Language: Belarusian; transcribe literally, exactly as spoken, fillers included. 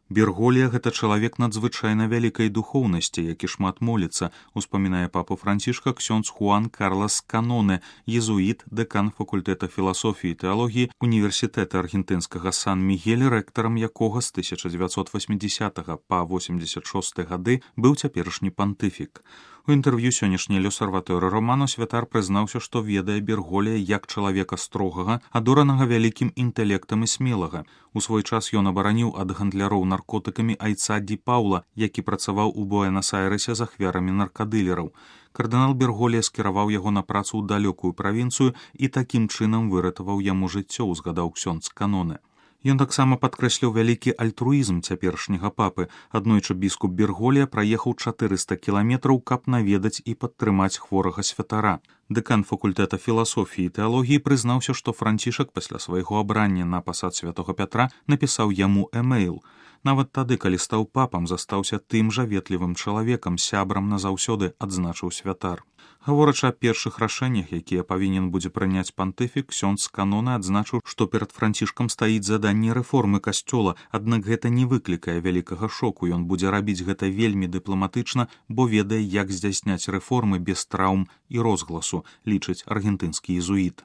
Берголія гэта чалавек надзвычайна вялікай духоўнасці, які шмат моліцца, успамінае папу Францішка ксёндз Хуан Карлас Каноне, езуіт, дэкан факультэта філасофіі і тэалогіі універсітэта аргентынскага Сан-Мігель, рэктарам якога з тысяча дзевяцьсот васьмідзесятага па восемьдесят шосты гады быў цяперашні пантыфік. У інтэрв'ю сённяшняй Л'осерваторы Романо святар прызнаўся, што ведае Берголія як чалавека строгага, адоранага вялікім інтэлектам і смелага. У свой час ён абараніў ад гандляроў наркотыкамі айца Ді Паўла, які працаваў у Буэнас-Айрэсе з ахвярамі наркадылераў. Кардынал Берголія скіраваў яго на працу ў далёкую правінцыю і такім чынам выратаваў яму жыццё, узгадаў ксёндз Каноне. Ён таксама падкрэсліў вялікі альтруізм цяперашняга папы. Аднойчы біскуп Берголія праехаў чатырыста кіламетраў, каб наведаць і падтрымаць хворага святара. Дэкан факультэта філасофіі і тэалогіі прызнаўся, што Францішак пасля свайго абрання на пасад святога Пятра напісаў яму эмейл. Нават тады, калі стаў папам, застаўся тым жа ветлівым чалавекам, сябрам назаўсёды, адзначыў святар. Гаворачы аб першых рашэннях, якія павінен будзе прыняць пантыфік, ксёндз Каноне адзначыў, што перад Францішкам стаіць заданне рэформы касцёла, аднак гэта не выклікае вялікага шоку. Ён будзе рабіць гэта вельмі дыпламатычна, бо ведае, як здзяйсняць рэформы без траўм і розгласу, лічыць аргентынскі езуіт.